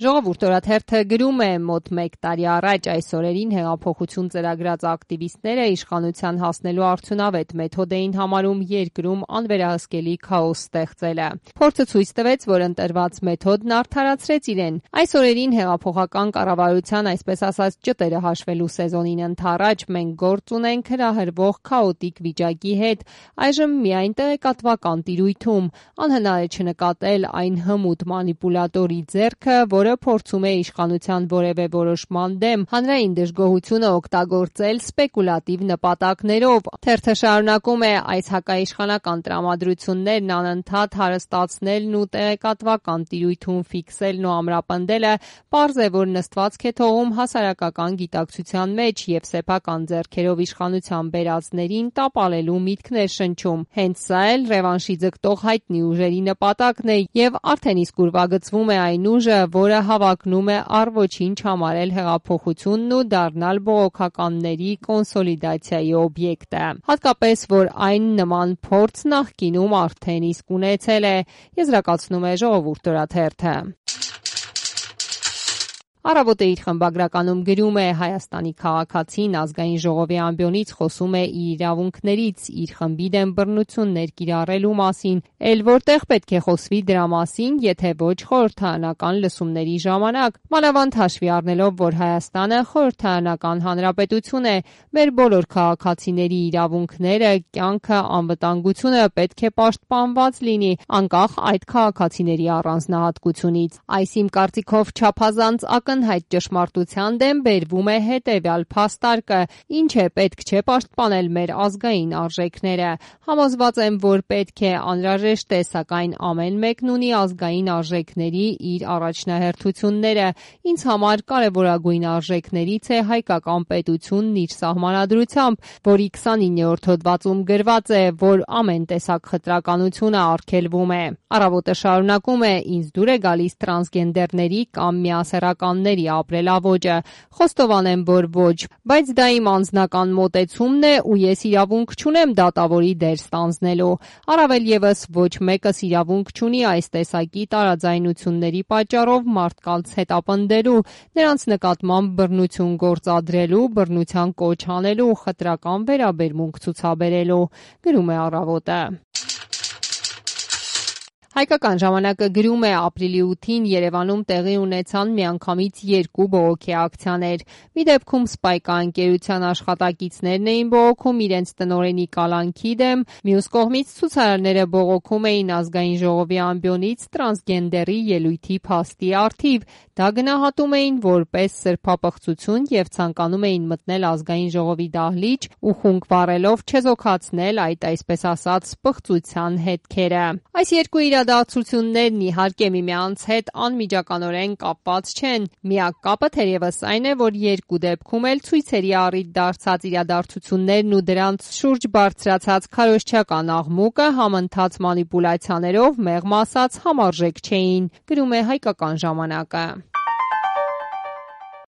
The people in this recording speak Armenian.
Ժողովուրդ օրաթերթը գրում է մոտ 1 տարի առաջ այս օրերին հեղափոխություն ծրագրած ակտիվիստները իշխանության հասնելու արդյունավետ մեթոդ էին համարում երկրում անվերահսկելի քաոս ստեղծելը։ Փորձը ցույց տվեց, որ ընտրված մեթոդն արդարացրեց իրեն։ Այս օրերին հեղափոխական կառավարության այսպես ասած ճտերը հաշվելու սեզոնին ընդառաջ մենք գործ ունենք հրահրվող քաոտիկ վիճակի հետ, այժմ միայն տեղեկատվական տիրույթում։ Անհնար է չնկատել այն հմուտ մանիպուլատորի ձեռքը, որը փորձում է իշխանության որևէ որոշման դեմ հանրային դժգոհությունը օգտագործել սպեկուլատիվ նպատակներով։ Թերթը շարունակում է այս հակաիշխանական տրամադրություններն անընդհատ հարստացնելն ու տեղեկատվական տիրույթում ֆիքսելն ու ամրապնդելը պարզ է, որ նստվածք է թողում հասարակական գիտակցության մեջ եւ սեփական ձեռքերով իշխանության բերածներին տապալելու միտքներ շնչում։ Հենց սա էլ ռևանշի ձգտող հայտնի ուժերի նպատակն է եւ արդեն իսկ ուրվագծվում է այն ուժը, որը հավակնում է առ ոչինչ համարել հեղափոխությունն ու դառնալ բողոքականների կոնսոլիդացիայի օբյեկտը։ Հատկապես, որ այն նման փորձ նախկինում արդեն իսկ ունեցել է, եզրակացնում է Ժողովուրդ օրաթերթը։ Առավոտը իր խմբագրականում գրում է Հայաստանի քաղաքացին ազգային ժողովի ամբիոնից խոսում է իր իրավունքներից, իր խմբի դեմ բռնություններ կիրառելու մասին, էլ որտեղ պետք է խոսվի դրա մասին, եթե ոչ խորհրդարանական լսումների ժամանակ, մանավանդ հաշվի առնելով, որ Հայաստանը խորհրդարանական հանրապետություն է, մեր բոլոր քաղաքացիների իրավունքները, կյանքը, անվտանգությունը պետք է պաշտպանված լինի, անկախ այդ քաղաքացիների առանձնահատկությունից։ Այս իմ կարծիքով չափազանց ակնհայտ ճշմարտության դեմ բերվում է հետևյալ փաստարկը, ինչ է պետք չէ պաշտպանել մեր ազգային արժեքները։ Համոզված եմ, որ պետք է անհրաժեշտ է, սակայն ամեն մեկն ունի ազգային արժեքների իր առաջնահերթությունները։ Ինձ համար կարևորագույն արժեքներից է հայկական պետությունն իր սահմանադրությամբ, որի 29-րդ հոդվածում գրված է, որ ամեն տեսակ խտրականությունը արգելվում է։ Առավոտը շարունակում է, ինձ դուր է գալիս տրանսգենդերների կամ միասեռականների ապրելաոճը։ Խոստովանեմ, որ ոչ, բայց դա իմ անձնական մոտեցումն է ու ես իրավունք չունեմ դատավորի դեր ստանձնելու։ Առավել եւս ոչ մեկս իրավունք չունի այս տեսակի տարաձայնությունների պատճառով մարդկանց հետապնդելու, նրանց նկատմամբ բռնություն գործադրելու, բռնության կոչ անելու, խտրական վերաբերմունք ցուցաբերելու, գրում է Առավոտը։ Հայկական ժամանակը գրում է ապրիլի 8-ին Երևանում տեղի ունեցան միանգամից 2 բողոքի ակցիաներ։ Մի դեպքում Spike ընկերության աշխատակիցներն էին բողոքում իրենց տնօրենի կալանքի դեմ, մյուս կողմից ցուցարարները բողոքում էին ազգային ժողովի ամբիոնից տրանսգենդերի ելույթի փաստի առթիվ։ Դա գնահատում էին որպես սրբապղծություն եւ ցանկանում էին մտնել ազգային ժողովի դահլիճ ու խունկ վառելով չեզոքացնել այդ այսպես ասած պղծության հետքերը։ Այս երկու իրադարձություններն իհարկե միմյանց հետ անմիջականորեն կապված չեն։ Միակ կապը թերևս այն է, որ երկու դեպքում էլ ցույցերի առիթ դարձած իրադարձություններն ու դրանց շուրջ բարձրացած քարոզչական աղմուկը համընթաց մանիպուլյացիաներով մեղմ ասած համարժեք չէին, գրում է Հայկական ժամանակը։